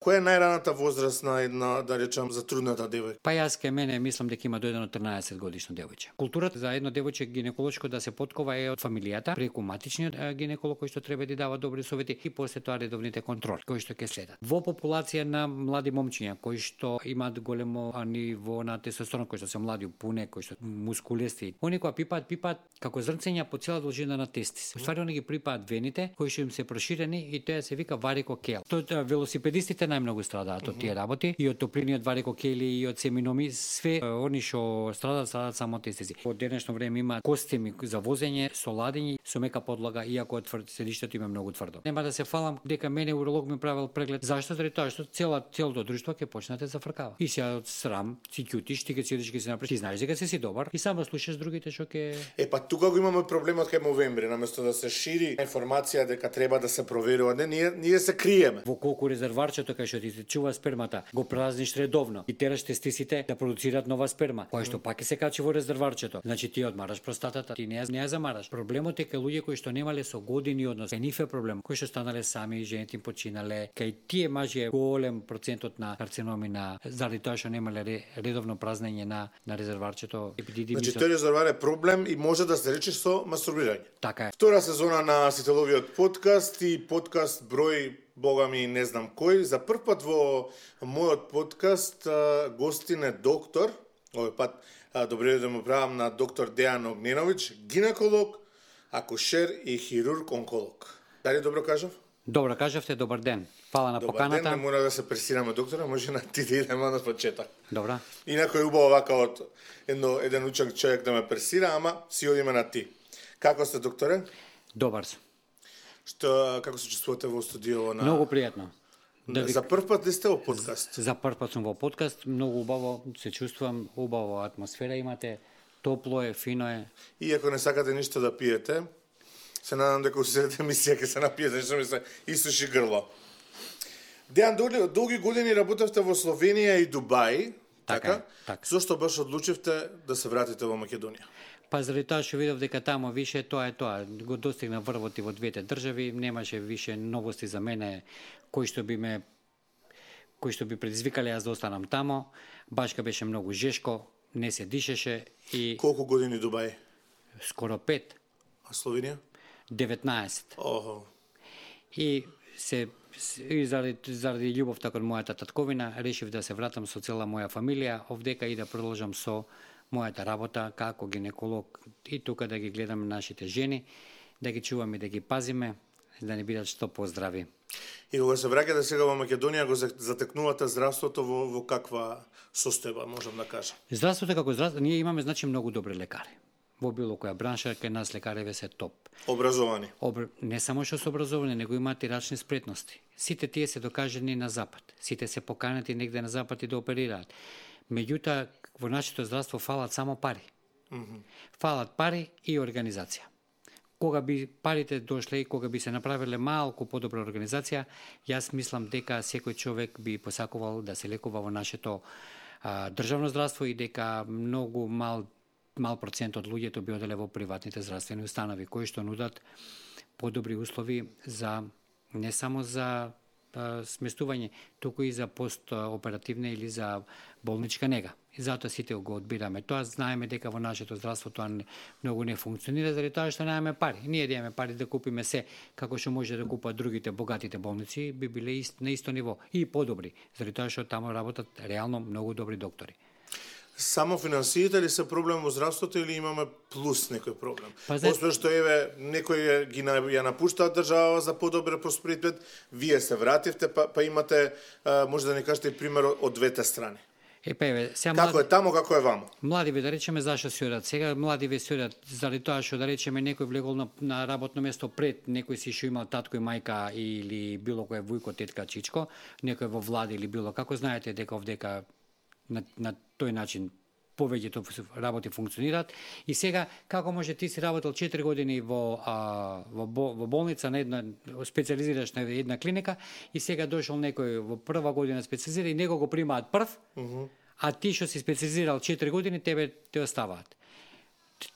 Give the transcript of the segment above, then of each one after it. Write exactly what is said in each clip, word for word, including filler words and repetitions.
Која е најраната возраст на една, да речам, затрудната девојка? Па јас ке мене мислам дека има до едно трнаесет годишно девојче. Културата за едно девојче гинеколошко да се поткова е од фамилијата, преку матичниот гинеколог кој што треба да дава добри совети и после тоа редовните контроли кои што ќе следат. Во популација на млади момчиња кои што имаат големо ниво на тестостерон, кои што се млади пуне, кои што мускулести, они кога пипаат, пипаат како зрнцења по цела должина на тестис. Уствари они ги припаат вените кои што им се проширени и тоа се вика варикокел. Тоа велосипедистите најмногу страдаат од тие работи и од топлиниот варикокели и од семиноми, све они што страдаат, страдаат само тестиси. Од денешно време има костими за возење со ладење, со мека подлога, иако од тврд седиштето има многу тврдо. Нема да се фалам дека мене уролог ми правил преглед. Зашто? Заради тоа што цела целото друштво ќе почне да зафркава. И сега од срам си ќутиш, ти ќе седиш ќе се направиш. Ти знаеш дека си си добар и само слушаш другите што ќе. Е па тука го имаме проблемот кај новември, наместо да се шири информација дека треба да се проверува, не ние ние се криеме. Во колку резерварчето кај што ти се чува спермата, го празниш редовно и тераш тестисите да продуцираат нова сперма, која што пак ќе се качи во резерварчето. Значи ти одмараш простатата, ти не ја, не ја замараш. Проблемот е кај луѓе кои што немале со години однос. Кај нив е проблем, кои што станале сами, жените им починале. Кај тие мажи е голем процентот на карциноми на заради тоа што немале редовно празнење на на резерварчето. Значи тој резервар е проблем и може да се рече со мастурбирање. Така е. Втора сезона на Сителовиот подкаст и подкаст број Бога ми не знам кој. За прв пат во мојот подкаст гостин е доктор, овој пат добре да му правам на доктор Дејан Огненовиќ, гинеколог, акушер и хирург-онколог. Дали добро кажав? Добро кажавте, добар ден. Фала на добар поканата. Добар ден, не мора да се пресираме доктора, може на ти да идеме од почеток. Добра. Инако е убаво вака од едно, еден учен човек да ме пресира, ама си одиме на ти. Како сте, докторе? Добар сум. Што, како се чувствувате во студио на... Многу пријатно. Да ви... За прв пат ли сте во подкаст? За прв пат сум во подкаст, многу убаво се чувствувам, убава атмосфера имате, топло е, фино е. И ако не сакате ништо да пиете, се надам дека усетите емисија ќе се напиете, што ми се исуши грло. Дејан, долги години работевте во Словенија и Дубај, така? Така, така. Зошто баш одлучивте да се вратите во Македонија? Па заради тоа што видов дека тамо више тоа е тоа, го достигна врвот и во двете држави, немаше више новости за мене кои што би ме кои што би предизвикале јас да останам тамо. Башка беше многу жешко, не се дишеше и Колку години Дубај? Скоро пет. А Словенија? деветнаесет. Охо. И се и заради, заради љубовта кон мојата татковина решив да се вратам со цела моја фамилија овдека и да продолжам со мојата работа како гинеколог и тука да ги гледаме нашите жени, да ги чуваме, да ги пазиме, да не бидат што поздрави. И кога се враќате сега во Македонија, го затекнувате здравството во, во каква состојба, можам да кажам? Здравството како здравство, ние имаме значи многу добри лекари. Во било која бранша, кај нас лекареве се топ. Образовани? Обр... Не само што се образовани, него имаат и рачни спретности. Сите тие се докажени на запад. Сите се поканети негде на запад и да оперираат. Меѓутоа, во нашето здравство фалат само пари. Mm -hmm. Фалат пари и организација. Кога би парите дошле и кога би се направиле малку подобра организација, јас мислам дека секој човек би посакувал да се лекува во нашето а, државно здравство и дека многу мал мал процент од луѓето би оделе во приватните здравствени установи кои што нудат подобри услови за не само за а, сместување, туку и за постоперативна или за болничка нега. И затоа сите го одбираме. Тоа знаеме дека во нашето здравство тоа не, многу не функционира заради тоа што немаме пари. Ние да имаме пари да купиме се како што може да купат другите богатите болници, би биле ист, на исто ниво и подобри, заради тоа што таму работат реално многу добри доктори. Само финансиите ли се проблем во здравството или имаме плюс некој проблем? Па, Освен што еве некои ги на, ја напуштаат држава за подобар просперитет, вие се вративте, па, па имате, а, може да ни кажете и пример од двете страни. Е, па, еве, сега како млади... е тамо, како е вамо? Младиве, да речеме, зашто се одат сега? Младиве се одат заради тоа што, да речеме, некој влегол на, на работно место пред, некој си што имал татко и мајка или било кој вујко, тетка, чичко, некој во влада или било како, знаете дека овдека на, на тој начин повеќето работи функционираат. И сега, како може ти си работел четири години во, а, во, во болница на една, специализираш на една клиника и сега дошол некој во прва година специализира и него го примаат прв, uh -huh. а ти што си специализирал четири години, тебе те оставаат.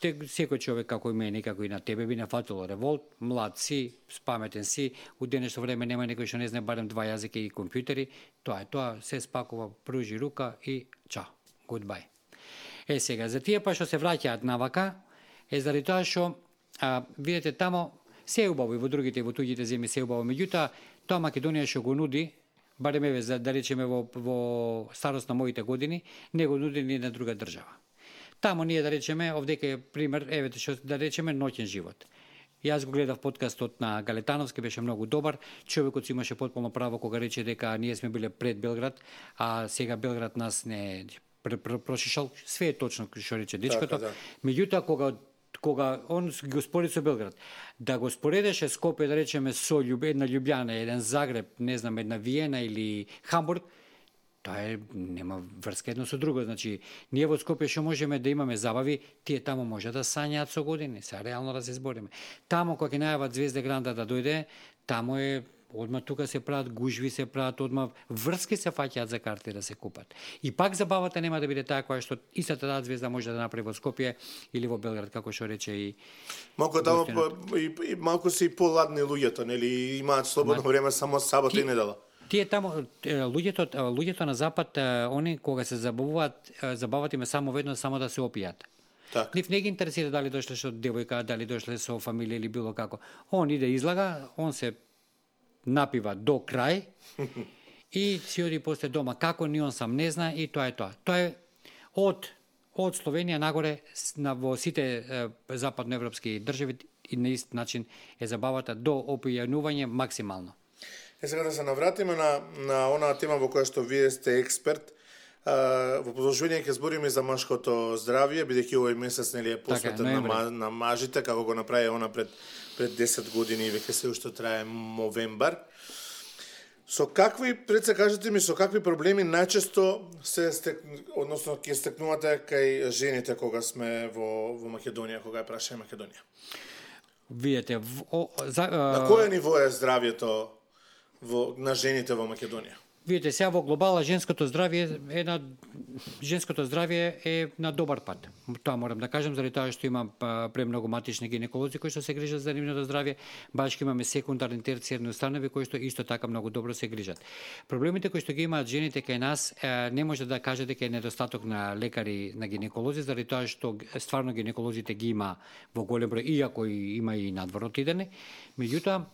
те, секој човек како и мене, како и на тебе би нафатило револт, млад си, спаметен си, у денешно време нема некој што не знае барем два јазика и компјутери, тоа е тоа, се спакува, пружи рука и чао, goodbye. Е сега, за тие па што се враќаат навака, е заради тоа што, а, видите, тамо се е убаво и во другите, во туѓите земји се е убаво, меѓутоа, тоа Македонија што го нуди, барем еве, за, да речеме во, во старост на моите години, не го нуди ни на друга држава. Тамо ние, да речеме, овдека е пример, еве, што да речеме, ноќен живот. Јас го гледав подкастот на Галетановски, беше многу добар. Човекот си имаше потполно право кога рече дека ние сме биле пред Белград, а сега Белград нас не прошишал. Све е точно што рече дечкото. Да. Меѓутоа, кога кога он го спореди со Белград, да го споредеше Скопје, да речеме, со една Љубљана, еден Загреб, не знам, една Виена или Хамбург, тоа е, нема врска едно со друго. Значи, ние во Скопје што можеме да имаме забави, тие тамо може да сањаат со години, сега реално да се збориме. Тамо кога ќе најават Звезде Гранда да дојде, тамо е одма тука се прават гужви, се прават одма врски се фаќаат за карти да се купат. И пак забавата нема да биде таа која што истата таа звезда може да направи во Скопје или во Белград, како што рече и малку тамо и, и малку се и поладни луѓето, нели, имаат слободно Ма... време само сабота и недела. Тие тамо луѓето луѓето на запад, они кога се забавуваат, забават име само веднаш само да се опијат. Так. Нив не ги интересира дали дошле со девојка, дали дошле со фамилија или било како. Он иде излага, он се напива до крај и си оди после дома. Како ни он сам не зна и тоа е тоа. Тоа е од од Словенија нагоре на во сите е, западноевропски држави и на ист начин е забавата до опијанување максимално. Е сега да се навратиме на на онаа тема во која што вие сте експерт. Uh, во продолжување ќе збориме за машкото здравје, бидејќи овој месец нели е посветен така, на, на мажите, како го направи она пред пред десет години и веќе се уште трае новембар. Со какви, пред се кажете ми, со какви проблеми најчесто се стек, односно ќе стекнувате кај жените кога сме во во Македонија, кога е праша Македонија? Видете, о, за, а... на кое ниво е здравјето во на жените во Македонија? Видите, сега во глобала женското здравје е на женското здравје е на добар пат. Тоа морам да кажам, заради тоа што имам премногу матични гинеколози кои што се грижат за нивното здравје, башки имаме секундарни терцијарни установи кои што исто така многу добро се грижат. Проблемите кои што ги имаат жените кај нас не може да кажете дека е недостаток на лекари, на гинеколози, заради тоа што стварно гинеколозите ги има во голем број, иако и има и надворот идене. Меѓутоа,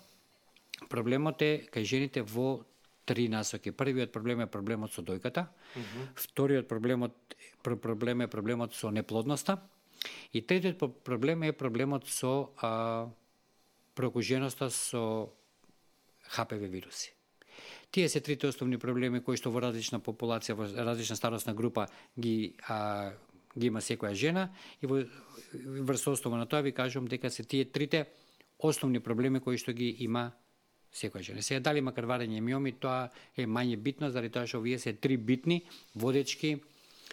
проблемот е кај жените во три насоки. Првиот проблем е проблемот со дојката, mm-hmm. вториот проблемот проблем е проблемот со неплодноста и третиот проблем е проблемот со а, прокуженоста со Х П В вируси. Тие се трите основни проблеми кои што во различна популација, во различна старосна група ги а, ги има секоја жена и во врз основа на тоа ви кажувам дека се тие трите основни проблеми кои што ги има секоја жена. Сега дали има крварење миоми, тоа е мање битно, заради тоа што овие се три битни водечки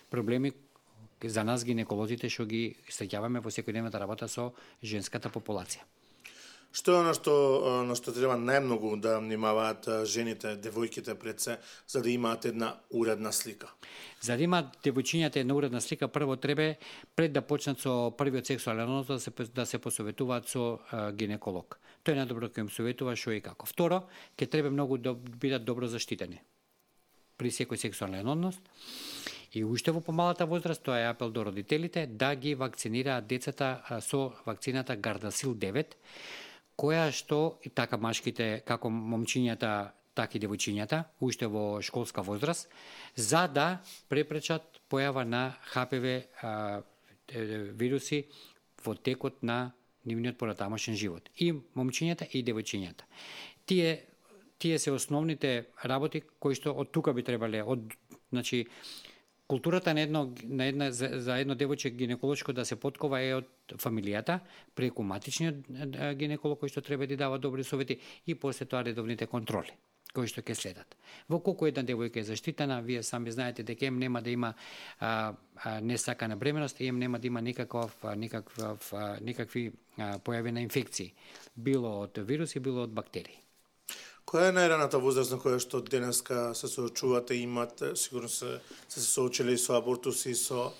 проблеми за нас гинеколозите што ги среќаваме во секојдневната работа со женската популација. Што е оно што на што треба најмногу да внимаваат жените, девојките пред се, за да имаат една уредна слика? За да имаат девојчињата една уредна слика, прво треба пред да почнат со првиот сексуален однос да се да се посоветуваат со а, гинеколог. Тој е најдобро кој им советува што и како. Второ, ќе треба многу да бидат добро заштитени при секој сексуален однос. И уште во помалата возраст, тоа е апел до родителите, да ги вакцинираат децата со вакцината Гардасил девет, која што и така машките, како момчињата, така и девојчињата, уште во школска возраст, за да препречат појава на Х П В а, вируси во текот на нивниот понатамошен живот. И момчињата и девојчињата. Тие тие се основните работи кои што од тука би требале, од значи културата на едно на една за, за едно девојче гинеколошко да се поткова е од фамилијата, преку матичниот гинеколог кој што треба да дава добри совети и после тоа редовните контроли кои што ќе следат. Во колку една девојка е заштитена, вие сами знаете дека ем нема да има а, а, несакана бременост, ем нема да има никаков никаков никакви а, појави на инфекции, било од вируси, било од бактерии. Која е најраната возраст на која што денеска се соочувате, имат, сигурно се се соочиле и со абортуси, со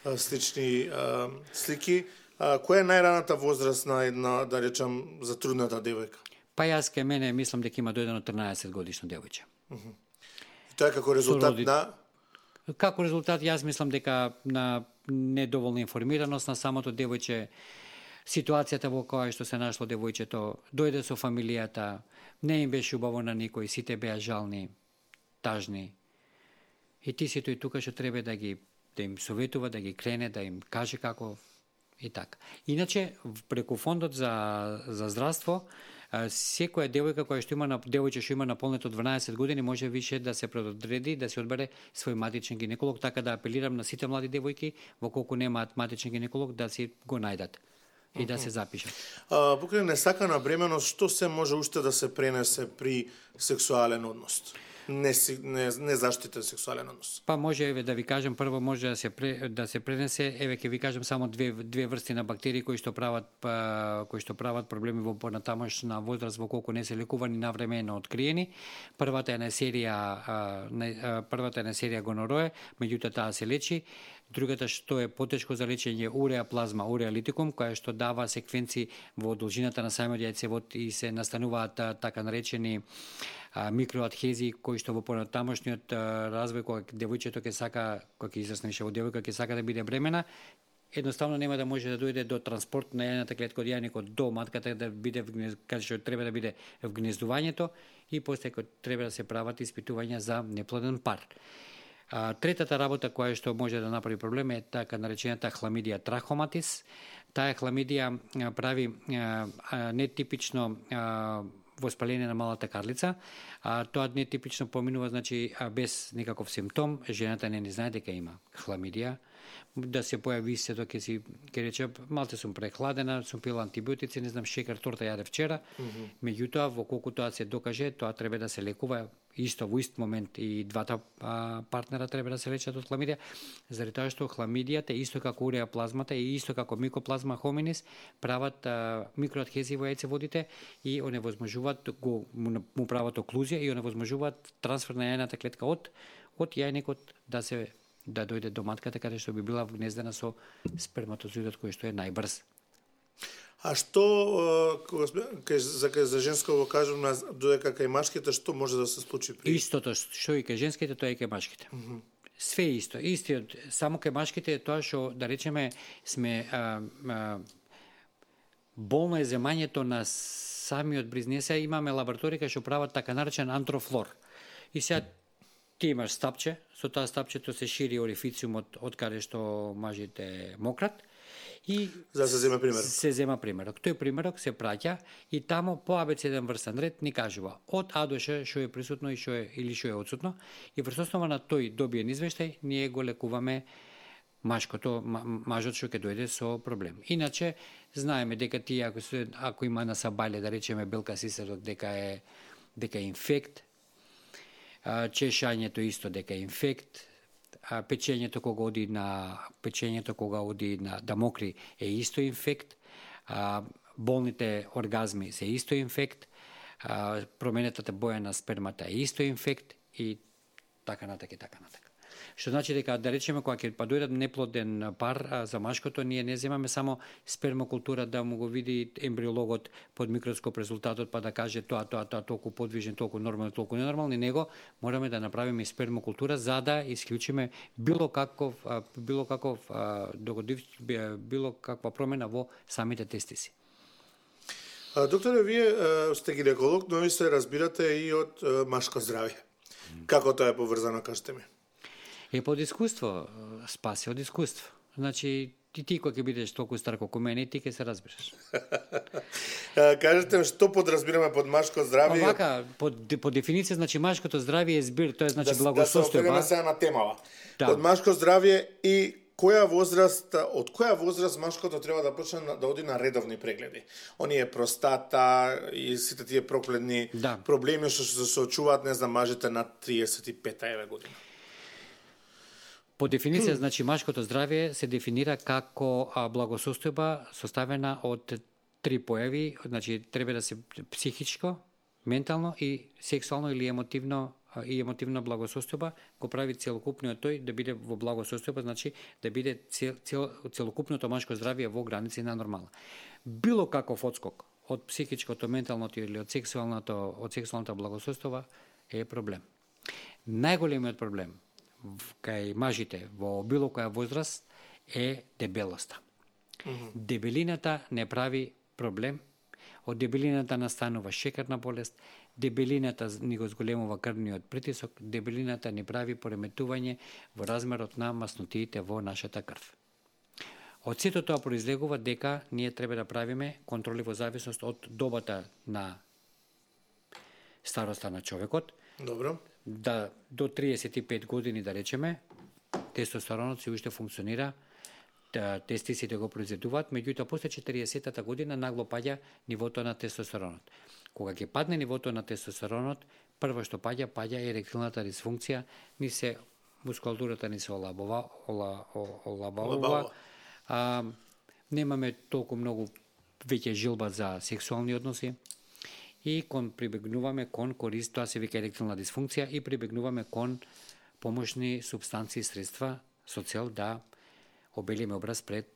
а, слични а, слики. А, која е најраната возраст на една, да речам, затрудната девојка? Па јас ке мене мислам дека има до едно трнаесет годишно девојче. Uh-huh. И тоа е како резултат роди... на... Како резултат, јас мислам дека на недоволна информираност на самото девојче, ситуацијата во која што се нашло девојчето, дојде со фамилијата, не им беше убаво на никој, сите беа жални, тажни. И ти си тој тука што треба да ги да им советува, да ги крене, да им каже како и така. Иначе преку фондот за за здравство, секоја девојка која што има на девојче што има наполнето дванаесет години може више да се предодреди да се одбере свој матичен гинеколог, така да апелирам на сите млади девојки во колку немаат матичен гинеколог да си го најдат и да се запишат. А, покрај несакана бременост, што се може уште да се пренесе при сексуален однос? Не, не, не заштитен сексуален однос. Па може еве да ви кажам, прво може да се пре, да се пренесе, еве ќе ви кажам само две две врсти на бактерии кои што прават па, кои што прават проблеми во понатамошна возраст во колку не се лекувани навремено откриени. Првата е на серија а, на, првата е на серија гонорое, меѓутоа таа се лечи. Другата што е потешко за лечење уреаплазма, уреалитикум, која што дава секвенци во должината на самиот јајцевод и се настануваат така наречени микроадхезии кои што во понатамошниот развој кога девојчето ќе сака, кога ќе израсне више во девојка ќе сака да биде бремена, едноставно нема да може да дојде до транспорт на јајната клетка од јајникот до матката да биде каде што треба да биде вгнездувањето и после треба да се прават испитувања за неплоден пар. А, третата работа која што може да направи проблем е така наречената хламидија трахоматис. Таа хламидија прави а, а, нетипично а, воспаление на малата карлица, а тоа нетипично поминува, значи без никаков симптом, жената не не знае дека има хламидија, да се појави се тоа ќе си ќе рече малце сум прехладена, сум пила антибиотици, не знам шекар, торта јаде вчера. Mm-hmm. Меѓутоа во колку тоа се докаже, тоа треба да се лекува исто во ист момент и двата а, партнера треба да се лечат од хламидија, заради тоа што хламидијата исто како уреаплазмата и исто како микоплазма хоминис прават а, микроадхезии во јајцеводите и оневозможуваат го му прават оклузија и оневозможуваат трансфер на јајната клетка од од јајникот да се да дојде до матката каде што би била вгнездена со сперматозоидот кој што е најбрз. А што кога за за женско го кажам додека кај машките што може да се случи при Истото што и кај женските тоа и кај машките. Mm -hmm. Све исто, истиот, само кај машките е тоа што да речеме сме а, а, болно е земањето на самиот бризнеса, имаме лабораторија што прават така наречен антрофлор. И сега ти имаш стапче, со тоа стапчето се шири орифициумот од каде што мажите мократ. И за да се зема примерок. Се зема примерок. Тој примерок се праќа и тамо по абецеден врстен ред ни кажува од А до Ш што е присутно и што е или што е отсутно и врз основа на тој добиен извештај ние го лекуваме машкото, мажот што ќе дојде со проблем. Иначе знаеме дека ти ако се, ако има на сабале да речеме белка сисерот дека е дека е инфект, чешањето исто дека е инфект, а печењето кога оди на печењето кога оди на да мокри е исто инфект, а, болните оргазми се исто инфект, а, променетата боја на спермата е исто инфект и така натака и така натака. Што значи дека да речеме кога ќе па дојде неплоден пар а, за машкото ние не земаме само спермокултура да му го види ембриологот под микроскоп резултатот па да каже тоа тоа тоа толку подвижен, толку нормално, толку ненормално, него мораме да направиме спермокултура за да исклучиме било каков а, било каков а, догодив било каква промена во самите тестиси. А, докторе, вие а, сте гинеколог, но ви се разбирате и од а, машко здравје. Mm. Како тоа е поврзано, кажете ми? Е под искуство, спаси од искуство. Значи, ти ти кога ќе бидеш толку стар колку мене, ти ќе се разбереш. Кажете ми што подразбираме под машко здравје? Овака, под, под дефиниција, значи машкото здравје е збир, тоа е значи да, благосостојба. Да се сега на темава. Да. Под машко здравје и која возраст, од која возраст машкото треба да почне да оди на редовни прегледи? Оние простата и сите тие проклетни да. проблеми што се соочуваат, не знам, мажите на триесет и пета еве година. По дефиниција, значи, машкото здравје се дефинира како благосостојба составена од три појави, значи, треба да се психичко, ментално и сексуално или емотивно и емотивна благосостојба го прави целокупниот тој да биде во благосостојба, значи да биде цел, цел, целокупното машко здравје во граници на нормала. Било каков одскок од психичкото, менталното или од сексуалното, од сексуалната благосостојба е проблем. Најголемиот проблем кај мажите во било која возраст е дебелоста. Mm-hmm. Дебелината не прави проблем. Од дебелината настанува шекерна болест, дебелината ни го зголемува крвниот притисок, дебелината ни прави пореметување во размерот на маснотиите во нашата крв. Од сето тоа произлегува дека ние треба да правиме контроли во зависност од добата на староста на човекот. Добро. Да до триесет и пет години, да речеме, тестостеронот се уште функционира, тестисите го произведуваат, меѓутоа после четириесеттата година нагло паѓа нивото на тестостеронот. Кога ќе падне нивото на тестостеронот, прво што паѓа, паѓа еректилната дисфункција, ни се мускулатурата ни се олабува, ола, олабува, а, немаме толку многу веќе жилба за сексуални односи и кон прибегнуваме кон корист, тоа се вика еректилна дисфункција, и прибегнуваме кон помошни супстанции и средства со цел да обелиме образ пред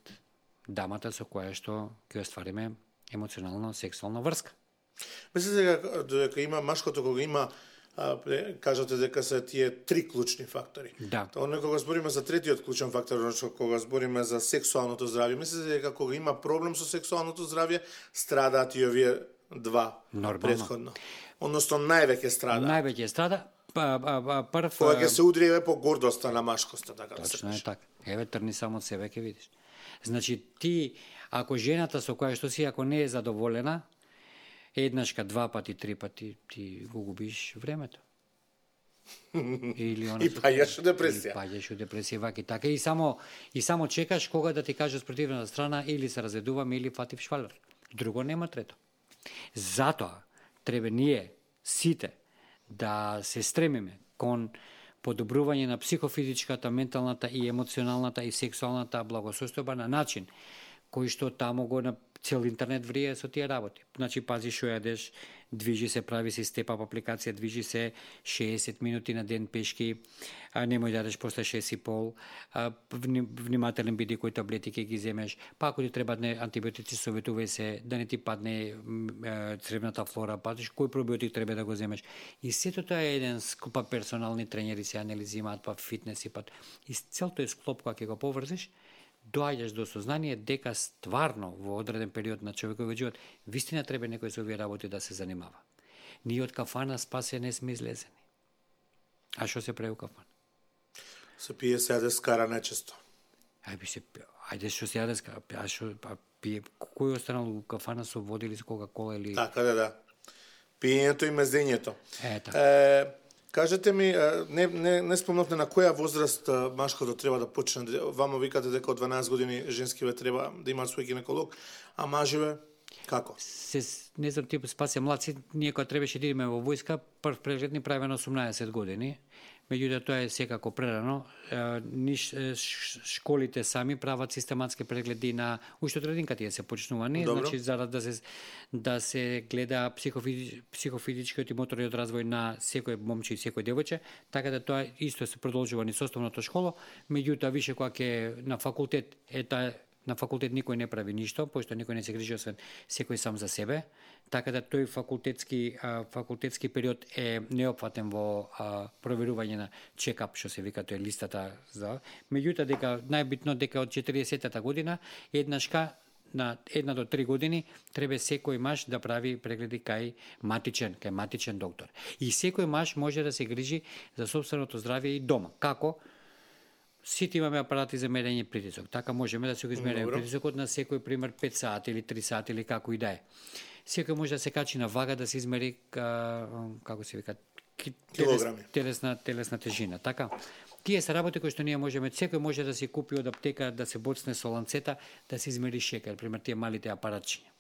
дамата со која што ќе оствариме емоционална сексуална врска. Мислите дека дека има машкото кога има а, кажате дека се тие три клучни фактори. Да. Тоа кога збориме за третиот клучен фактор, значи кога збориме за сексуалното здравје, мислите дека кога има проблем со сексуалното здравје, страдаат и овие два Нормално. Претходно. Односно највеќе страда. Највеќе страда. Па, па, па, прв, кога ќе се удри еве по гордоста на машкоста, така да се точно е каже. така. Еве трни само од себе ќе видиш. Значи ти, ако жената со која што си, ако не е задоволена, еднашка, два пати, три пати, ти го губиш времето. Или она И паѓаш во депресија. И паѓаш во депресија, ваки така. И само, и само чекаш кога да ти каже спротивната страна, или се разведуваме, или фатив швалер. Друго нема трето. Затоа треба ние сите да се стремиме кон подобрување на психофизичката, менталната и емоционалната и сексуалната благосостојба на начин кој што таму го на цел интернет врие со тие работи. Значи пази што јадеш, движи се, прави се степ-ап апликација, движи се шеесет минути на ден пешки, а немој да јадеш после шест и пол, а, внимателен биди кои таблети ќе ги земеш, па ако ти требаат антибиотици, советувај се да не ти падне цревната флора, пазиш кој пробиотик треба да го земеш. И сето тоа е еден скупа персонални тренери се анализи имаат, па фитнес и па. И цел тој склоп кога ќе го поврзиш, доаѓаш до сознание дека стварно во одреден период на човековиот живот вистина треба некој со овие работи да се занимава. Ние од кафана спасе не сме излезени. А што се прави у кафана? Се пие, се јаде, скара нечесто. Ајде се ајде што се јаде, скара, а што па пие, кој останал у кафана со вода или со кока-кола или Така да, да. Пиењето и мезењето. Е, така. Е, кажете ми, не, не, не спомнавте на која возраст машкото треба да почне. Вамо викате дека од дванаесет години женскиве треба да имаат свој гинеколог, а маживе како? Се, не знам, тип спасе младци, ние кога требаше да идеме во војска, прв преглед ни прави на осумнаесет години. Меѓутоа тоа е секако прерано. Ниш школите сами прават систематски прегледи на уште од рединка тие се почнувани, Добро. значи зарад да се да се гледа психофизи, психофизичкиот и моторниот развој на секој момче и секој девојче, така да тоа исто се продолжува низ основната школа, меѓутоа више кога ќе на факултет е таа на факултет никој не прави ништо, пошто никој не се грижи освен секој сам за себе, така да тој факултетски а, факултетски период е неопфатен во а, проверување на чекап, што се вика, тоа е листата за. Меѓутоа дека најбитно дека од четириесеттата година еднашка на една до три години треба секој маж да прави прегледи кај матичен, кај матичен доктор. И секој маж може да се грижи за сопственото здравје и дома. Како? Сите имаме апарати за мерење притисок. Така можеме да се го измериме притисокот на секој пример пет сати или три сати или како и да е. Секој може да се качи на вага да се измери ка, како се вика телес, телесна телесна тежина, така. Тие се работи кои што ние можеме, секој може да си купи од аптека, да се боцне со ланцета, да се измери шекер, пример тие малите апаратчиња.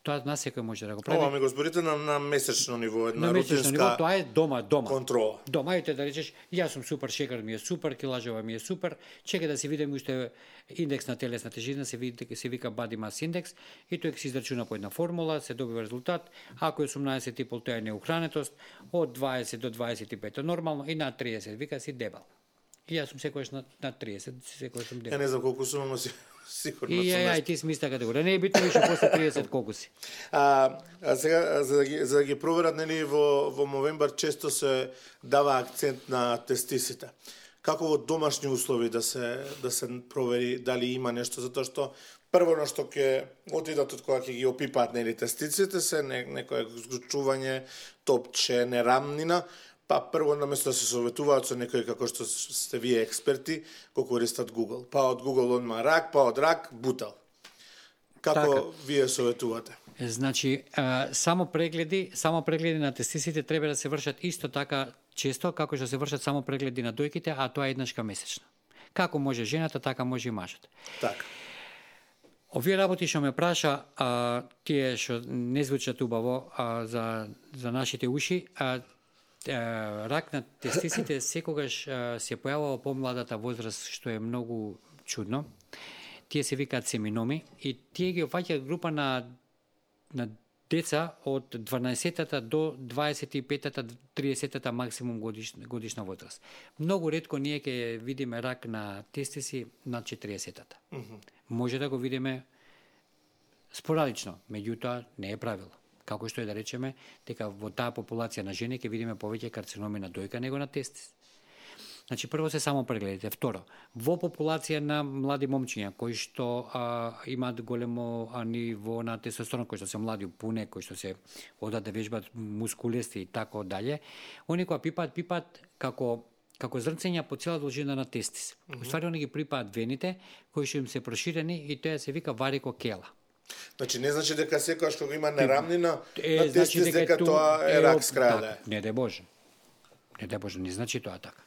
Тоа на секој може да го прави. Ова ми го зборите на, на месечно ниво, една на месечно рутинска ниво, тоа е дома, дома. контрола. Дома ете да речеш, јас сум супер, шекар ми е супер, килажава ми е супер, чека да се видиме уште индекс на телесна тежина, се види се вика body mass index и тој ќе се израчуна по една формула, се добива резултат. Ако е осумнаесет и пол тоа е неухранетост, од дваесет до дваесет и пет е нормално и над триесет вика си дебел. И јас сум секојаш на, на триесет, секојаш сум дебел. Ја не знам колку сум, ама си сигурно и сум. И ја, ти си миста категорија. Не е битно више после триесет колку си. А, а сега за да ги за да ги проверат, нели, во во Movember често се дава акцент на тестисите. Како во домашни услови да се да се провери дали има нешто, затоа што прво на што ќе отидат од кога ќе ги опипаат, нели, тестиците се не, некое згрчување, топче, нерамнина. Па прво наместо да се советуваат со некој како што сте вие експерти, го користат Google. Па од Google одма рак, па од рак бутал. Како така вие советувате? Значи, а, само прегледи, само прегледи на тестисите треба да се вршат исто така често како што се вршат само прегледи на дојките, а тоа е еднашка месечно. Како може жената, така може и мажот. Така. Овие работи што ме праша, а, тие што не звучат убаво а, за за нашите уши, а рак на тестисите секогаш а, се појавува во помладата возраст, што е многу чудно. Тие се викаат семиноми и тие ги опфаќаат група на на деца од дванаесеттата до дваесет и петата, триесеттата максимум годишна, годишна возраст. Многу ретко ние ќе видиме рак на тестиси над четириесеттата. Mm-hmm. Може да го видиме спорадично, меѓутоа не е правило. Како што е да речеме, дека во таа популација на жени ќе видиме повеќе карциноми на дојка него на тестис. Значи, прво се само прегледите. Второ, во популација на млади момчиња кои што а, имаат големо а, ниво на тестостерон, кои што се млади пуне, кои што се одат да вежбат мускулести и тако дале, они кога пипаат, пипаат како како зрнцења по цела должина на тестис. Mm-hmm. Уствари, они ги припаат вените кои што им се проширени и тоа се вика варикокела. Значи не значи дека секогаш кога има нерамнина е, на тестис значи дека, дека тоа е рак с крај. Так, не де Боже. Не де Боже, не значи тоа така.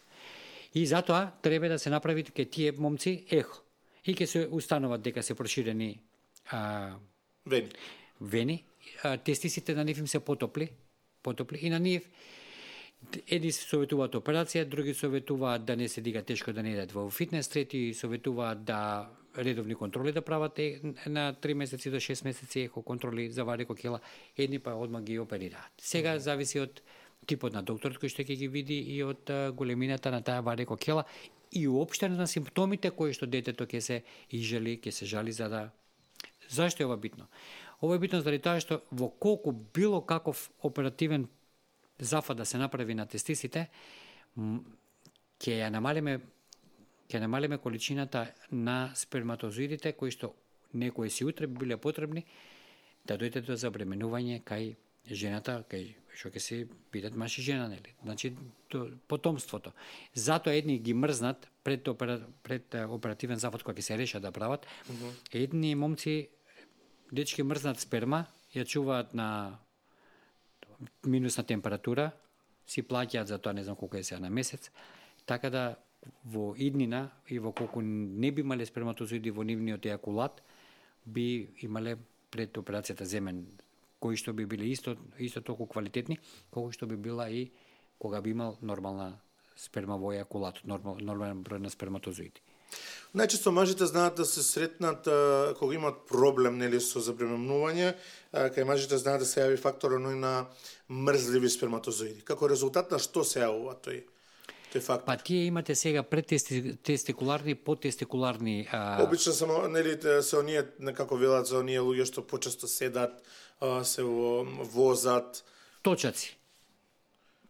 И затоа треба да се направи ке тие момци ехо. И ќе се установат дека се проширени а, вени. Вени. А, тестисите на нив им се потопли, потопли и на нив едни се советуваат операција, други советуваат да не се дига тешко, да не идат во фитнес, трети советуваат да редовни контроли да прават на три месеци до шест месеци ехо контроли за варикокела, едни па одма ги оперираат. Сега зависи од типот на докторот кој што ќе ги види и од големината на таа варикокела и уопште на симптомите кои што детето ќе се изжали, ќе се жали за да. Зашто е ова битно? Ова е битно заради тоа што во колку било каков оперативен зафат да се направи на тестисите, ќе ја намалиме ќе намалиме количината на сперматозоидите кои што некои си утре би биле потребни да дојде до забременување кај жената, кај што ќе се бидат маж и жена, нели? Значи потомството. Затоа едни ги мрзнат пред опера, пред оперативен зафат кога ќе се решат да прават. Mm-hmm. Едни момци дечки мрзнат сперма, ја чуваат на минусна температура, си плаќаат за тоа не знам колку е сега на месец, така да во иднина и во колку не би имале сперматозоиди во нивниот ејакулат, би имале пред операцијата земен, кои што би биле исто исто толку квалитетни, колку што би била и кога би имал нормална сперма во ејакулат, нормал, нормален број на сперматозоиди. Најчесто мажите знаат да се сретнат а, кога имат проблем, нели, со забременување, а, кај мажите знаат да се јави фактор оној на мрзливи сперматозоиди. Како резултат на што се јавува тој? Па тие имате сега предтестикуларни, подтестикуларни. А... Обично само, нели, се оние, некако велат за оние луѓе што почесто седат, а, се возат. Точаци.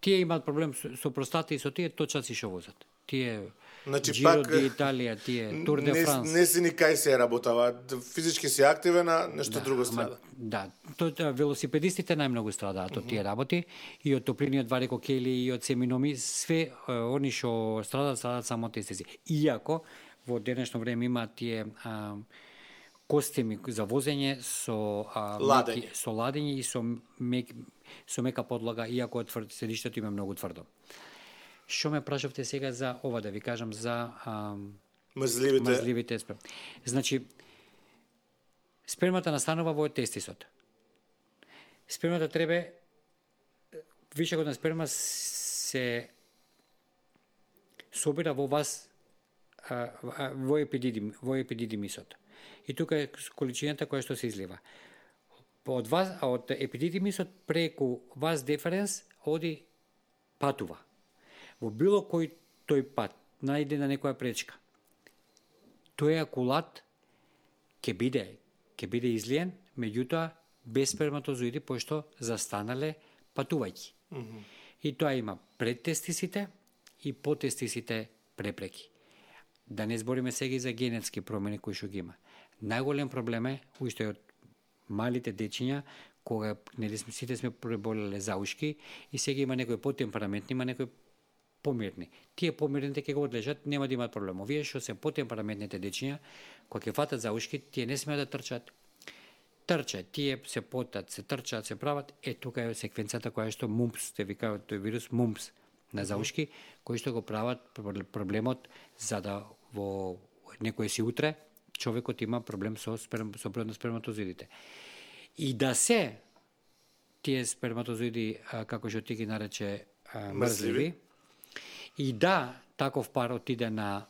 Тие имаат проблем со, со простата и со тие точаци што возат. Тие Значи, Giro пак, di Italia, тие Тур де Франс. Не, не си ни кај се работава. Физички си активен, а нешто да, друго страда. Ама, да, тоа велосипедистите најмногу страдаат од тие работи и од топлиниот варикокели и од семиноми, све они што страдаат, страдаат само од тестиси. Иако во денешно време има тие а, костими за возење со а, ладење. Меки, со ладење и со мек, со мека подлога, иако тврд, седиштето има многу тврдо. Што ме прашавте сега за ова, да ви кажам, за а, мрзливите. мрзливите сперма. Значи, спермата настанува во тестисот. Спермата треба, вишокот на сперма се собира во вас, во епидидим, во епидидимисот. И тука е количината која што се излива. Од вас, од епидидимисот преку вас деференс оди патува. Во било кој тој пат најде на некоја пречка. Тој акулат ќе биде, ќе биде излиен, меѓутоа без сперматозоиди, пошто застанале патувајќи. Mm-hmm. И тоа има пред тестисите и по тестисите препреки. Да не збориме сега и за генетски промени кои што ги има. Најголем проблем е уште од малите дечиња, кога нели сите сме преболеле заушки и сега има некои потемпераментни, има некои помирни. Тие помирните ќе го одлежат, нема да имаат проблем. Овие што се потемпераментните дечиња, кога ќе фатат заушки, тие не смеат да трчат. Трчат, тие се потат, се трчаат, се прават. Е, тука е секвенцата која што мумпс, те викаат тој вирус мумпс на заушки, кои што го прават проблемот за да во некој си утре човекот има проблем со сперм, со бројот на сперматозоидите. И да се тие сперматозоиди, како што ти ги нарече, мрзливи, и да таков пар отиде на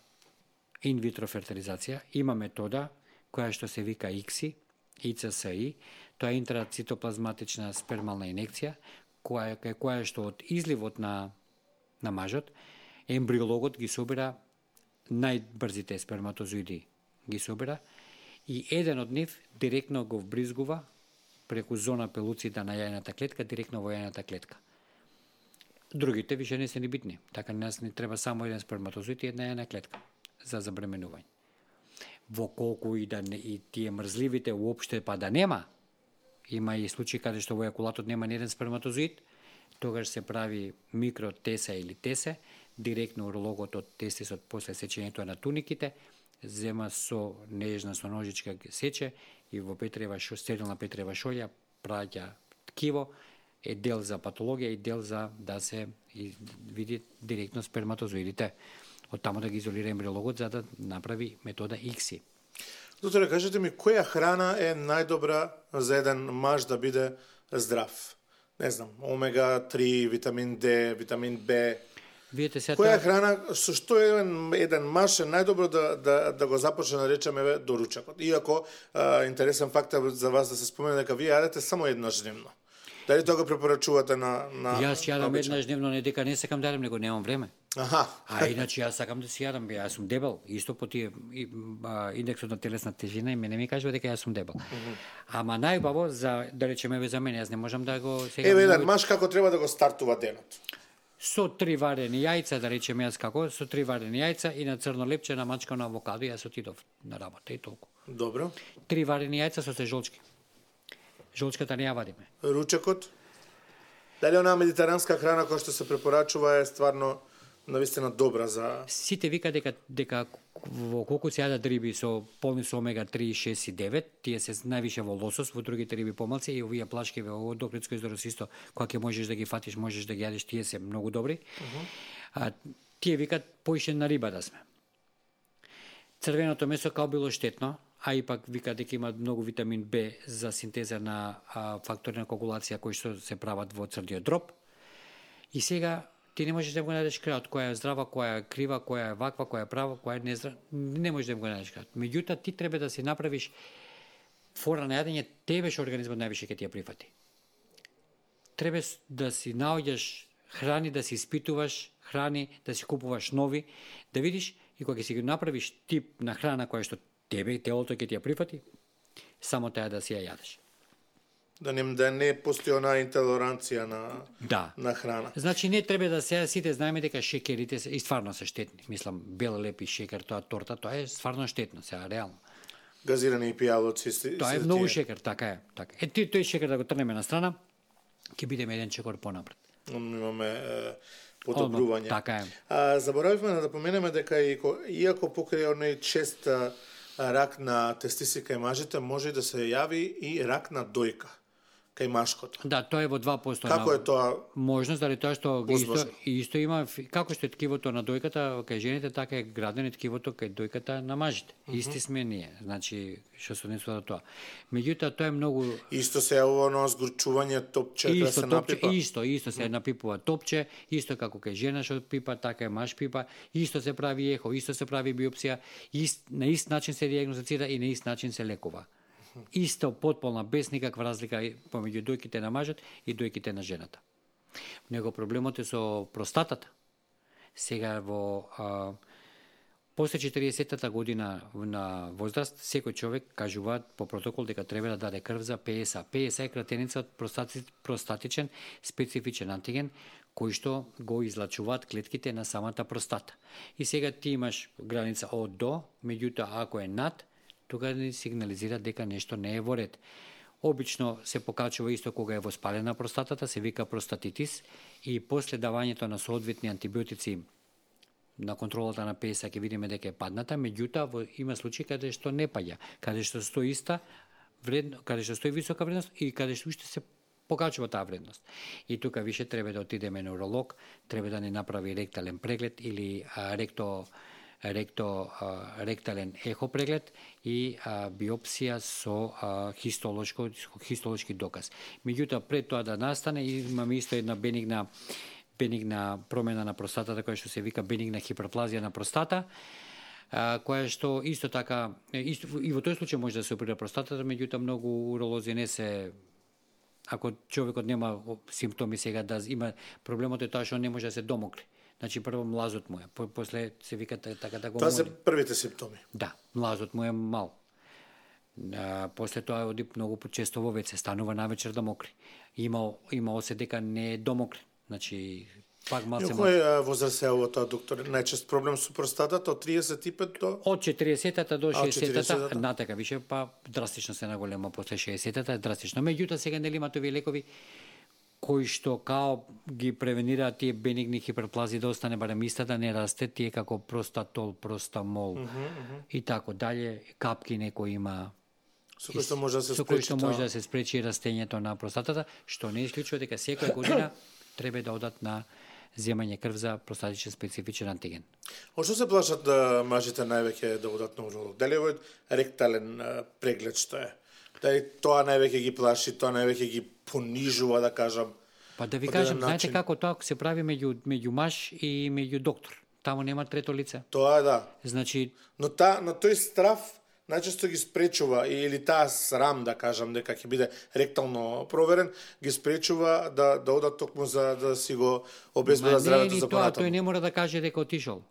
инвитро фертилизација, има метода која што се вика ай си ай, ай си ай, тоа е интрацитоплазматична спермална инекција, која, која што од изливот на, на мажот, ембриологот ги собира најбрзите сперматозоиди, ги собира, и еден од нив директно го вбризгува преку зона пелуцида на јајната клетка, директно во јајната клетка. Другите више не се ни битни. Така нас не треба само еден сперматозоид и една јајна клетка за забременување. Во колку и да не, и тие мрзливите уопште па да нема, има и случаи каде што во ејакулатот нема ни еден сперматозоид, тогаш се прави микротесе или тесе, директно урологот од тестисот после сечењето на туниките, зема со нежна со ножичка ги сече и во петрева шо, стерилна петрева шолја праќа ткиво, е дел за патологија и дел за да се види директно сперматозоидите. Од таму да ги изолира ембриологот за да направи метода ай си ай. Докторе, кажете ми, која храна е најдобра за еден маж да биде здрав? Не знам, омега три, витамин Д, витамин Б. Видите се која храна, со што еден, еден маж е најдобро да, да, да го започне, да речеме, доручакот? Иако, а, интересен факт за вас да се спомене дека вие јадете само еднаш дневно. Дали тоа го препорачувате на на Јас јадам еднаш дневно, не дека не сакам да јадам, него немам време. Аха. А иначе јас сакам да си јадам, јас сум дебел, исто по тие и, а, индексот на телесна тежина и мене ми кажува дека јас сум дебел. Mm-hmm. Ама најбаво за да речеме за мене, јас не можам да го сега. Еве еден маж како треба да го стартува денот. Со три варени јајца, да речеме јас како, со три варени јајца и на црно лепче на мачка на авокадо, јас отидов на работа и толку. Добро. Три варени јајца со сежолчки. Жолчката не ја вадиме. Ручекот? Дали онаа медитеранска храна која што се препорачува е стварно навистина добра за... Сите вика дека дека во колку се јадат риби со полни со омега три, шест и девет, тие се највише во лосос, во другите риби помалци, и овие плашки во доклетско изорос исто, кога ќе можеш да ги фатиш, можеш да ги јадеш, тие се многу добри. Uh-huh. А тие викат поише на риба да сме. Црвеното месо као било штетно, а и пак вика дека има многу витамин Б за синтеза на а, фактори на коагулација кои што се прават во црдиот дроб. И сега ти не можеш да го најдеш крајот, која е здрава, која е крива, која е ваква, која е права, која е нездрава, не можеш да го најдеш крајот. Меѓутоа ти треба да си направиш фора на јадење, тебе што организмот највише ќе ти ја прифати. Треба да си наоѓаш храни, да си испитуваш храни, да си купуваш нови, да видиш и кога ќе си ги направиш тип на храна која што тебе телото ќе ти ја прифати, само таа да си ја јадеш. Да не, да не постои онаа интолеранција на, да. на храна. Значи не треба да се сите знаеме дека шекерите се и стварно се штетни. Мислам, бел леп и шекер, тоа торта, тоа е стварно штетно, сега реално. Газирани пијалоци. Тоа е многу шекер, така е. Така. Е, ти, тој шекер да го трнеме на страна, ќе бидеме еден чекор понапред. Имаме е, подобрување. Така е. А, заборавивме да поменеме дека и, иако покрај оној чест рак на тестиси кај мажите, може да се јави и рак на дојка. кај машкото. Да, тоа е во два проценти. Како е тоа? Можност, дали тоа што ги исто, Возможно. исто има, како што е ткивото на дојката кај жените, така е градено ткивото кај дојката на мажите. Mm -hmm. Исти сме ние, значи, што се однесува до тоа. Меѓутоа, тоа е многу... Исто се е оно згорчување топче, кај Исто, се топче, напипа? исто, исто се напипува топче, исто како кај жена што пипа, така е маж пипа, исто се прави ехо, исто се прави биопсија, ист, на ист начин се диагностицира и на ист начин се лекува. Исто потполна, без никаква разлика помеѓу дојките на мажот и дојките на жената. Него проблемот е со простатата. Сега во а, после четиридесетата година на возраст, секој човек кажуваат по протокол дека треба да даде крв за П С А. П С А е кратеница од простати, простатичен специфичен антиген, кој што го излачуваат клетките на самата простата. И сега ти имаш граница од до, меѓутоа ако е над, тога ни сигнализира дека нешто не е во ред. Обично се покачува исто кога е воспалена простатата, се вика простатитис, и после давањето на соодветни антибиотици на контролата на П С А ќе видиме дека е падната, меѓутоа има случаи каде што не паѓа, каде што стои иста вредно, каде што стои висока вредност и каде што уште се покачува таа вредност. И тука више треба да отидеме на уролог, треба да ни направи ректален преглед или а, ректо ректо а, ректален ехо преглед и а, биопсија со а, хистолошко хистолошки доказ. Меѓутоа пред тоа да настане имаме исто една бенигна бенигна промена на простатата која што се вика бенигна хиперплазија на простата, а, која што исто така исто, и во тој случај може да се оперира простатата, меѓутоа многу уролози не се, ако човекот нема симптоми сега да има, проблемот е тоа што не може да се домокри. Значи прво млазот му е, по, после се вика така да го Тоа моли. се првите симптоми. Да, млазот му е мал. А, после тоа оди многу почесто во веце, станува навечер да мокри. Има има осет дека не е домокри. Значи пак малце Кој е возраст е ово тоа, доктор? Најчест проблем со простатата од триесет и пет до од четиридесетата до шеесетата, четиридесетата? натака више па драстично се наголема после шеесетата, драстично. Меѓутоа сега нели има тови лекови кои што као ги превенираат тие бенигни хиперплази да остане барем иста, да не расте, тие како простатол, простамол uh -huh, uh -huh. и тако дале, капки некој има со кој што може да се со кој спречи што тоа. може да се спречи растењето на простатата, што не исклучува дека секоја година треба да одат на земање крв за простатичен специфичен антиген. Од што се плашат да мажите највеќе да одат на уролог? Дали е овој ректален а, преглед што е? Дали тоа највеќе ги плаши, тоа највеќе ги понижува, да кажам? Па да ви од кажам, еден знаете начин? како тоа се прави меѓу меѓу маж и меѓу доктор. Таму нема трето лице. Тоа е, да. Значи, Но та, но тој страв најчесто ги спречува, или таа срам, да кажам, дека ќе биде ректално проверен, ги спречува да да одат токму за да си го обезбедат здравето за тоа, понатаму. тој не мора да каже дека отишол.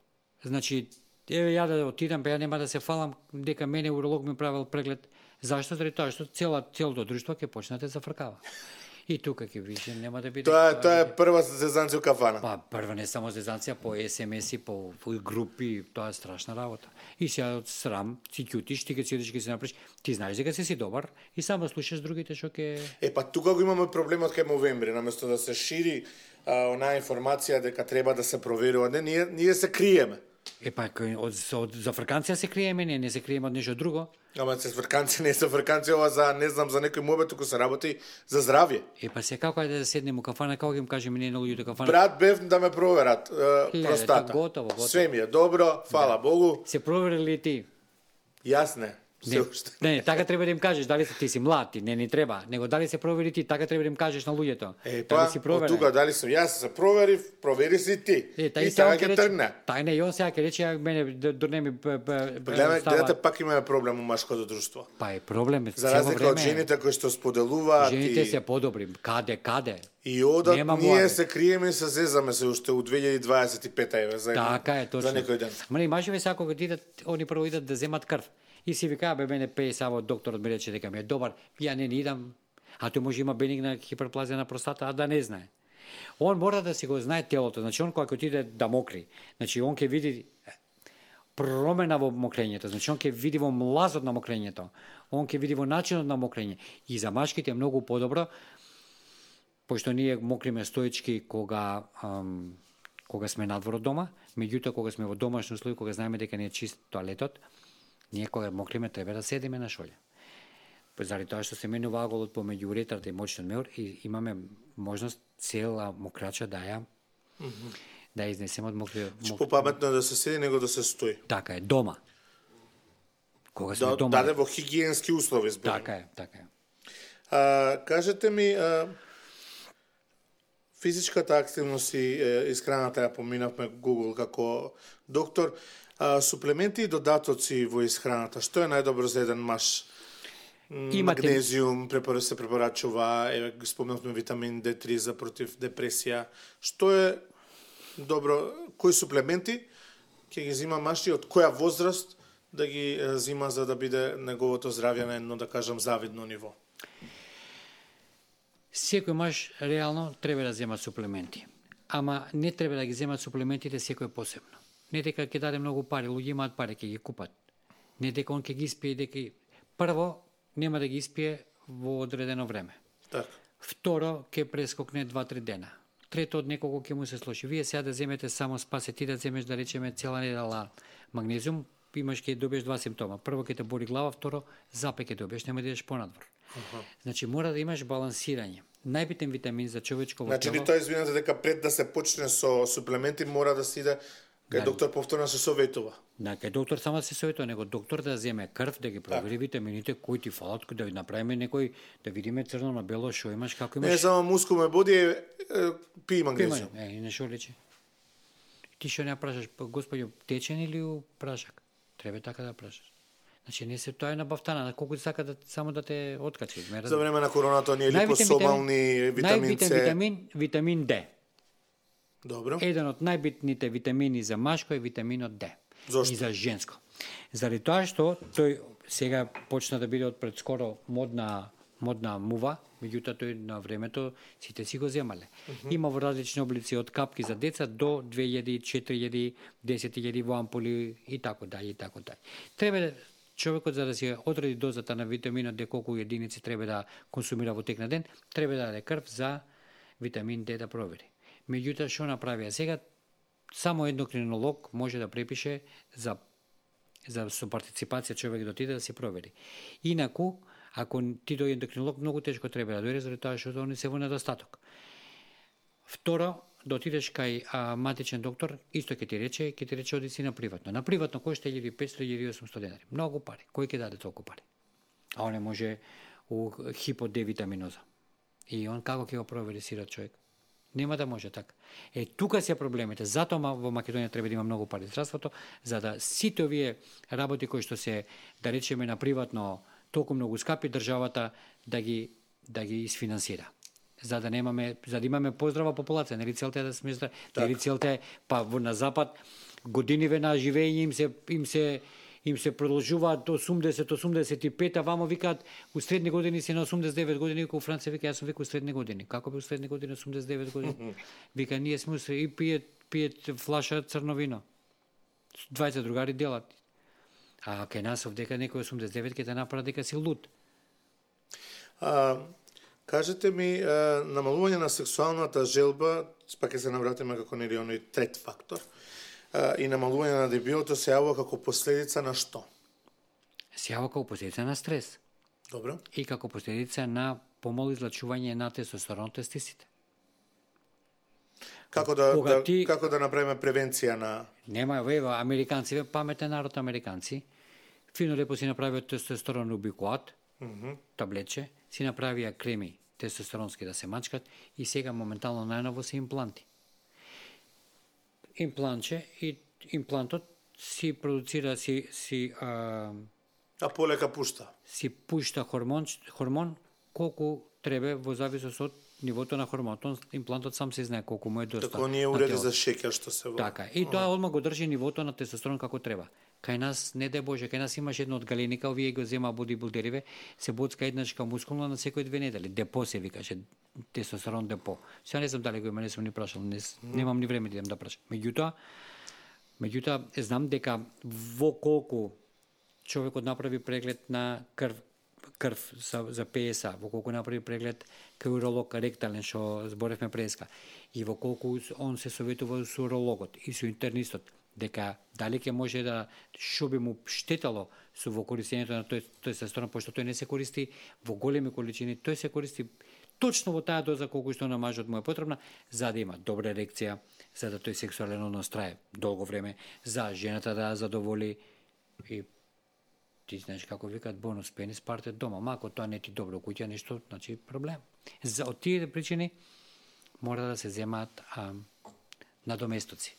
Значи, еве ја да отидам, па ја нема да се фалам дека мене уролог ми правил преглед. Зашто? Заради тоа што цела целото друштво ќе почне да зафркава. И тука ќе више нема да биде. Тоа е тоа е прва зезанција у кафана. Па прва не само зезанција, по ес ем еси, по, по групи, тоа е страшна работа. И сега од срам си ќутиш, ти ќе си одиш ќе си направиш, ти знаеш дека си си добар и само слушаш другите што ќе Е, па тука го имаме проблемот кај новември, наместо да се шири а, онаа информација дека треба да се проверува, не, ние, ние се криеме. Е па кој- од, од зафрканција се криеме, не, не се криеме од нешто друго. Ама се фрканци, не се фрканци, ова за, не знам, за некој мобет, туку се работи за здравје. Е па се како ајде да седнеме у кафана, како ги им кажеме ние на луѓето кафана. Брат, бев да ме проверат е, Леле, простата. тоа готово, готово. Све ми е добро, фала Богу. Се проверили ти? Јас не. Не, Се уште. не, не, така треба да им кажеш дали си ти си млад, ти не ни треба, него дали се провери ти, така треба да им кажеш на луѓето. Е, Дали па, си од проверен. тука дали сум јас се проверив, провери си ти. Е, тај и сега така ќе ќе рече, тргне. тај не, и он сега ќе рече, ја мене дурне ми Гледаме, гледате, пак имаме проблем у машкото друштво. Па е проблем, За цело разлика од време. жените кои што споделуваат Жените и, се подобри, каде, каде. и одат, Нема ние муабет. се криеме и се зезаме се уште у две илјади дваесет и пета еве за едно- Така е, точно. за некој ден. Ма не, мажеве сега кога идат, они прво идат да земат крв. И си викаа, бе, мене пее само докторот ми рече дека ми е добар, ја не ни идам, а тој може има бенигна хиперплазија на простата, а да не знае. Он мора да си го знае телото, значи он кога ќе отиде да мокри, значи он ќе види промена во мокрењето, значи он ќе види во млазот на мокрењето, он ќе види во начинот на мокрење. И за машките е многу подобро, пошто ние мокриме стоечки кога ам, кога сме надвор од дома, меѓутоа кога сме во домашни услови, кога знаеме дека не е чист тоалетот, ние кога мокриме треба да седиме на шолја. заради тоа што се менува аголот помеѓу уретрата и мочниот меур и имаме можност цела мокрача да ја mm -hmm. да ја изнесеме од мокриот. Мок... Попаметно е да се седи него да се стои. Така е, дома. Кога сме да, дома. Даде во хигиенски услови, зборам. Така е, така е. А, кажете ми, а, физичката активност и е, исхраната ја поминавме Google како доктор, а, суплементи и додатоци во исхраната, што е најдобро за еден маж? Имате... Магнезиум, препора се препорачува, е, спомнавме витамин Д три за против депресија. Што е добро, кои суплементи ќе ги зима маж и од која возраст да ги е, зима за да биде неговото здравје на едно, да кажам, завидно ниво? Секој маж реално треба да зема суплементи. Ама не треба да ги земат суплементите секој посебно. Не дека ќе даде многу пари, луѓе имаат пари, ќе ги купат. Не дека он ќе ги испие, дека прво нема да ги испие во одредено време. Так. Второ, ќе прескокне два-три дена. Трето, од некого ќе му се слоши. Вие сега да земете само спасе ти да земеш, да речеме, цела недела магнезиум, имаш ќе добиеш два симптома. Прво ќе те боли глава, второ запе ќе добиеш, нема да идеш понадвор. Uh-huh. Значи мора да имаш балансирање. Најбитен витамин за човечково значи, тело. Значи тоа извинете дека пред да се почне со суплементи мора да се иде кај да. Доктор повторно се советува. Да, кај доктор само се советува, него доктор да земе крв, да ги провери так. Витамините кои ти фалат, да ви направиме некој, да видиме црно на бело што имаш, како имаш. Не само мускул ме боди, е, е, пи магнезиум. Е, и не шо лечи. Ти што не прашаш, господи, течен или у прашак? Треба така да прашаш. Значи не се тоа е набавтана, на колку сака да само да те откачи. За време на короната ние липосомални, витамин С. Најбитен витамин, витамин Д. Добро. Еден од најбитните витамини за машко е витаминот Д. Зошто? И за женско. Заради тоа што тој сега почна да биде од пред скоро модна модна мува, меѓутоа тој на времето сите си го земале. Uh -huh. Има во различни облици од капки за деца до две илјади, четири илјади, десет илјади во ампули и така дај и така дај. Треба човекот за да си одреди дозата на витаминот Д колку единици треба да консумира во тек на ден, треба да даде крв за витамин Д да провери. Меѓутоа што направија сега само ендокринолог може да препише за за со партиципација човек да отиде да се провери. Инаку ако ти дојде ендокринолог многу тешко треба да дојде заради тоа што они се во недостаток. Второ, да отидеш кај а, матичен доктор, исто ќе ти рече, ќе ти рече оди си на приватно. На приватно кошта илјада и петстотини до илјада и осумстотини денари. Многу пари. Кој ќе даде толку пари? А он не може у хипо Д витаминоза. И он како ќе го провери сирот човек? Нема да може така. Е, тука се проблемите. Затоа во Македонија треба да има многу пари здравството, за да сите овие работи кои што се, да речеме, на приватно толку многу скапи, државата да ги да ги isfinansira. За да немаме, за да имаме поздрава популација, нели целта е да сме здрави. Нели целта е па во на запад годиниве на живење им се им се им се продолжуваат до осумдесет осумдесет и пет, а вамо викаат у средни години се на осумдесет и девет години, у Франција вика јас сум вика у средни години. Како би у средни години осумдесет и девет години? Вика ние сме и пиет пиет флаша црно вино. дваесет другари делат. А кај нас овдека некој осумдесет и девет ќе те направи дека си луд. А, кажете ми, а, намалување на сексуалната желба, пак ќе се навратиме како нели оној трет фактор, а, и намалување на дебилото се јавува како последица на што? Се јавува како последица на стрес. Добро. И како последица на помало излачување на тестостерон од тестисите. Како да, да ти... како да направиме превенција на... Нема, вева, американци, паметен народ американци, фино лепо си направиот тестостерон убикоат, mm -hmm. таблетче, си направија креми тестостеронски да се мачкат и сега моментално најново се импланти. Имплантче и имплантот си продуцира, си... си а... а полека пушта. Си пушта хормон, хормон колку треба во зависност од нивото на хормонот. Имплантот сам се знае колку му е доста. Така не е уреди за шеќер што се во. Така, и тоа одма го држи нивото на тестостерон како треба. Кај нас, не дај Боже, кај нас имаш едно од галеника, овие го зема бодибилдериве, се боцка еднашка мускулна на секој две недели. Депо се викаше, тестостерон депо. Сега не знам дали го има, не сум ни прашал, не, немам ни време да идем да прашам. Меѓутоа, меѓутоа знам дека во колку човекот направи преглед на крв, крв за, за П С А, во колку направи преглед кај уролог ректален, што зборевме преска, и во колку он се советува со урологот и со интернистот, дека дали ќе може да што би му штетало со во користењето на тој тестостерон, пошто тој не се користи во големи количини, тој се користи точно во таа доза колку што на мажот му е потребна, за да има добра ерекција, за да тој сексуален однос трае долго време, за жената да ја задоволи и ти знаеш како викаат бонус пенис парте дома, мако тоа не ти добро куќа нешто, значи проблем. За од тие причини мора да се земаат а, надоместоци.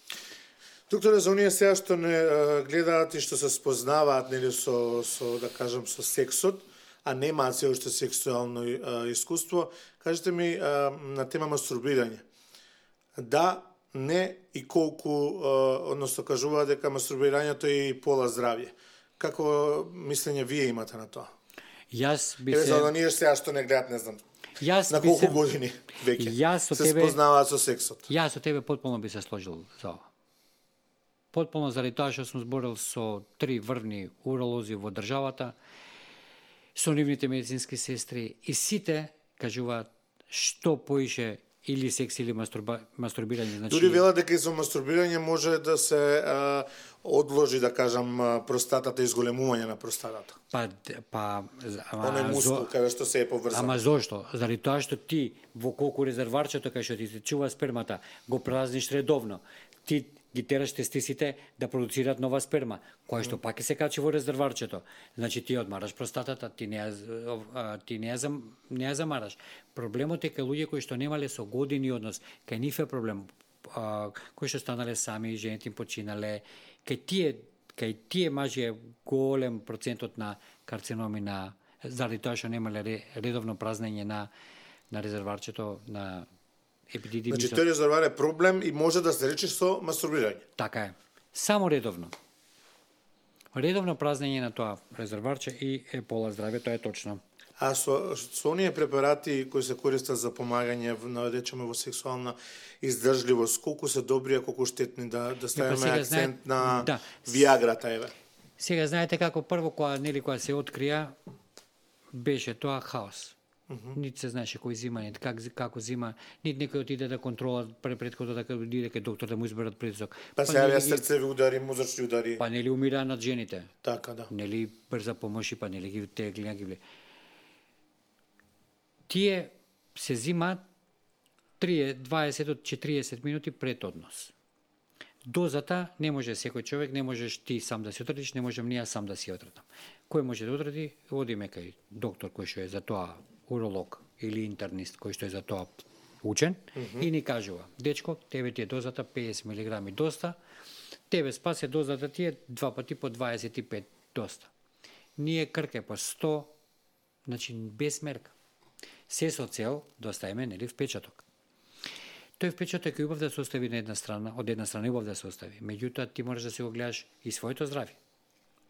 Докторе, за оние сега што не а, гледаат и што се спознаваат нели со со да кажам со сексот, а немаат се уште сексуално а, искуство, кажете ми а, на тема мастурбирање. Да, не и колку, а, односно кажуваат дека мастурбирањето е и пола здравје. Како мислење вие имате на тоа? Јас би Еве се... за оние сега што не гледат, не знам. Јас на би колку се... години веќе Јас со се тебе... спознаваат со сексот? Јас со тебе потполно би се сложил за ова. Потполно заради тоа што сум зборил со три врвни уролози во државата, со нивните медицински сестри и сите кажуваат што поише или секс или мастурба... мастурбирање, значи... Дури велат дека и со мастурбирање може да се а, одложи, да кажам, простатата, изголемување на простатата. Па, па... Ама, Оној мускул, каде што се е поврзан. Ама зошто? Заради тоа што ти во колку резерварчето кај што ти се чува спермата, го празниш редовно. Ти ги тераш тестисите да продуцираат нова сперма, која што пак се качи во резерварчето. Значи ти одмараш простатата, ти не ја, ти не ја, не ја замараш. Проблемот е кај луѓе кои што немале со години однос, кај нив е проблем, а, кои што станале сами, жените им починале, кај тие, кај тие мажи е голем процентот на карциноми на, заради тоа што немале редовно празнење на, на резерварчето, на епидидимисот. Значи тој резервар е проблем и може да се рече со мастурбирање. Така е. Само редовно. Редовно празнење на тоа резерварче и е пола здравје, тоа е точно. А со, со оние препарати кои се користат за помагање, на речеме во сексуална издржливост, колку се добри, а колку штетни, да, да ставиме акцент знае, на да. Виаграта, еве. Сега знаете како прво кога нели кога се открија беше тоа хаос. Uh -huh. Нит се знаеше кој зима, нит как, како зима, нит некој отиде да контрола пред предходно да отиде кај доктор да му изберат притисок. Па се јавија срцеви удари, мозочни удари. Па нели умираа над жените. Така, да. Нели брза помош и па нели ги тегли, ги вле. Тие се зимаат дваесет до четириесет минути пред однос. Дозата не може секој човек, не можеш ти сам да си отредиш, не можем ние сам да си отредам. Кој може да отреди, одиме кај доктор кој што е за тоа уролог или интернист кој што е за тоа учен mm -hmm. и ни кажува, дечко, тебе ти е дозата педесет милиграми доста, тебе спасе дозата ти е два пати по дваесет и пет доста. Ние крке по сто, значи без мерка. Се со цел да оставиме нели впечаток. Тој впечаток е убав да се остави на една страна, од една страна убав да се остави. Меѓутоа ти можеш да се го гледаш и своето здравје.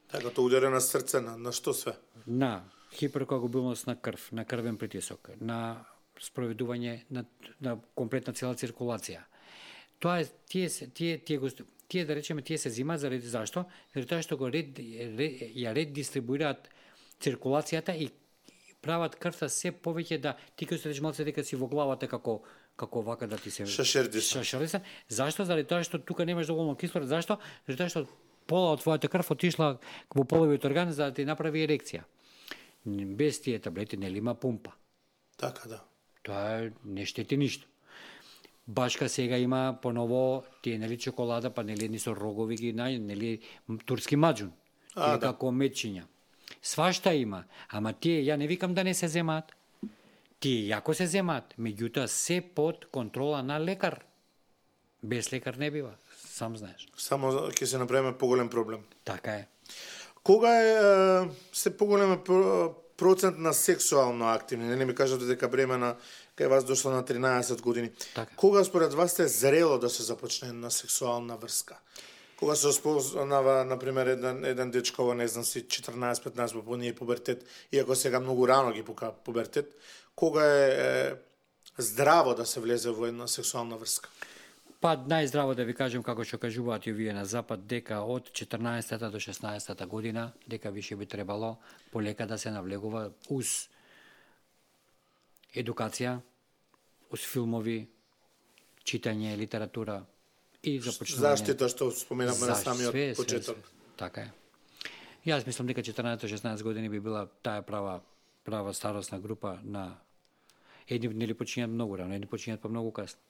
Така, тоа удари на срце, на, на што све? На хиперкоагулбилност на крв, на крвен притисок, на спроведување на, на комплетна цела циркулација. Тоа е тие тие тие го тие да речеме тие се зимаат заради зашто? Заради тоа што го ред, ред ја ред дистрибуираат циркулацијата и прават крвта се повеќе да ти ќе останеш малце дека си во главата како како вака да ти се шашердиса. Шашердиса. Зашто? Заради тоа што тука немаш доволно кислород. Зашто? Заради тоа што пола од твојата крв отишла во половиот орган за да ти направи ерекција. Без тие таблети нели има пумпа. Така, да. Тоа не штети ништо. Башка сега има поново тие нели чоколада, па нели ни со рогови ги нај, нели турски маџун. Тие да. Како мечиња. Свашта има, ама тие ја не викам да не се земаат. Тие јако се земаат, меѓутоа се под контрола на лекар. Без лекар не бива, сам знаеш. Само ќе се направиме поголем проблем. Така е. Кога е се поголем процент на сексуално активни? Не ми кажете дека бремена кај вас дошло на тринаесет години. Така. Кога според вас е зрело да се започне на сексуална врска? Кога се спознава, например, еден, еден дечко, не знам си, четрнаесет-петнаесет по ние пубертет, иако сега многу рано ги пука пубертет, кога е, е здраво да се влезе во една сексуална врска? Па најздраво да ви кажем како што кажуваат и вие на запад дека од четрнаесета до шеснаесета година дека више би требало полека да се навлегува уз едукација, уз филмови, читање, литература и започнување заштита што споменавме на самиот све, почеток. све, све. Така е. Јас мислам дека четрнаесет до шеснаесет години би била таа права права старосна група на едни нели почињаат многу рано, едни почињаат па многу касно.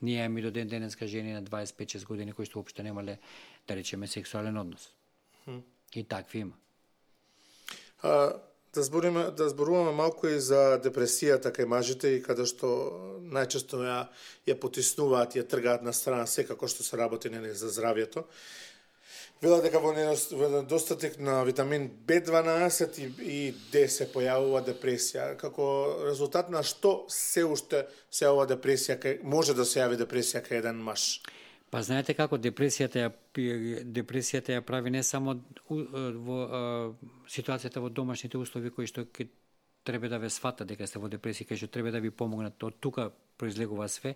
Ние имаме до ден денеска жени на дваесет и пет шест години кои што уопште немале, да речеме, сексуален однос. Hmm. И такви има. А, да збориме, да зборуваме малку и за депресијата кај мажите и каде што најчесто ја ја потиснуваат, ја тргаат на страна секако што се работи нели за здравјето. Вела дека во недостаток на витамин Б дванаесет и, и Д се појавува депресија. Како резултат на што се уште се ова депресија, кај, може да се јави депресија кај еден маж? Па знаете како депресијата ја депресијата ја прави не само во а, ситуацијата во домашните услови кои што ке треба да ве свата дека сте во депресија, кај што треба да ви помогнат, од тука произлегува све.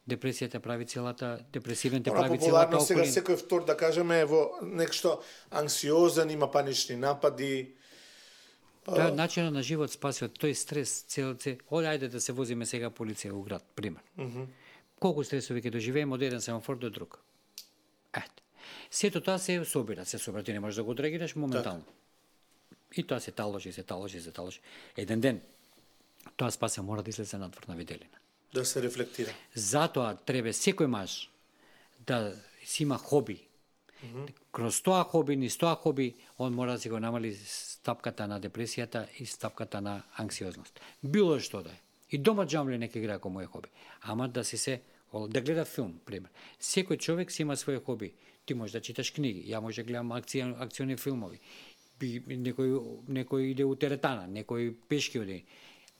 Депресијата прави целата, депресивните прави целата околина. Сега секој втор, да кажеме, е во нешто анксиозен, има панични напади. Тоа е начинот на живот спасува, тој стрес, цел, цел, оди, ајде да се возиме сега полиција у град, пример. Mm -hmm. Колку стресови ќе доживееме од еден семафор до друг. Ете. Сето тоа се собира, се собира, ти не можеш да го одреагираш моментално. Так. И тоа се таложи, се таложи, се таложи. Еден ден, тоа спасе мора да излезе надвор на виделина. Да се рефлектира. Затоа треба секој маж да си има хоби. Mm -hmm. Кроз тоа хоби, низ тоа хоби, он мора да си го намали стапката на депресијата и стапката на анксиозност. Било што да е. И дома џамле нека игра како мој хоби. Ама да си се, да гледа филм, пример. Секој човек си има свој хоби. Ти можеш да читаш книги, ја може да гледам акција, акциони филмови. Некој, некој иде у теретана, некој пешки оди.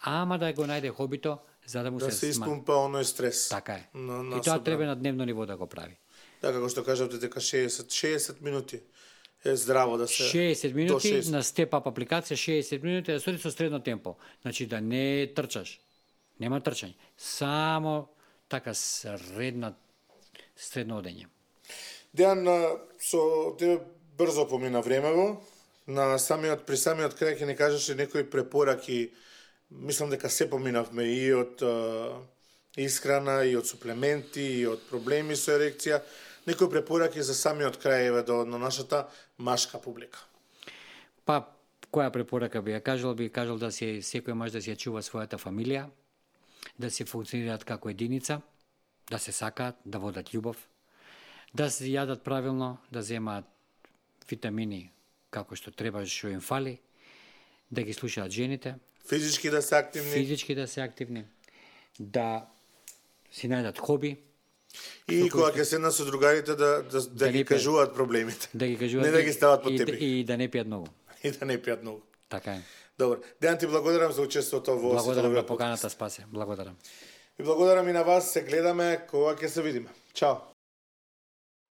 Ама да го најде хобито, за да му да се, се испумпа оној стрес. Така е. На, на и тоа треба на дневно ниво да го прави. Да, како што кажавте дека шеесет, шеесет минути е здраво да се... шеесет минути шеесет на степ-ап апликација, шеесет минути да се со средно темпо. Значи да не трчаш. Нема трчање. Само така средна средно одење. Дејан, со тебе брзо помина времево. На самиот при самиот крај ќе ни кажеше некои препораки. Мислам дека се поминавме и од uh, исхрана, и од суплементи, и од проблеми со ерекција. Некои препораки за самиот крај еве до на нашата машка публика. Па, која препорака би ја кажал? Би кажал да се секој маж да се чува својата фамилија, да се функционираат како единица, да се сакаат, да водат љубов, да се јадат правилно, да земаат витамини како што треба, што им фали, да ги слушаат жените, физички да се активни, физички да се активни, да си најдат хоби. И кога ќе седна со другарите да да, да, да ги кажуваат проблемите. Да ги кажуваат. Не да ги стават под и, тепих. И, и да не пијат многу. И да не пијат многу. Така е. Добро. Дејан, ти благодарам за учеството во Благодарам на поканата, Спасе. Благодарам. И благодарам и на вас, се гледаме кога ќе се видиме. Чао.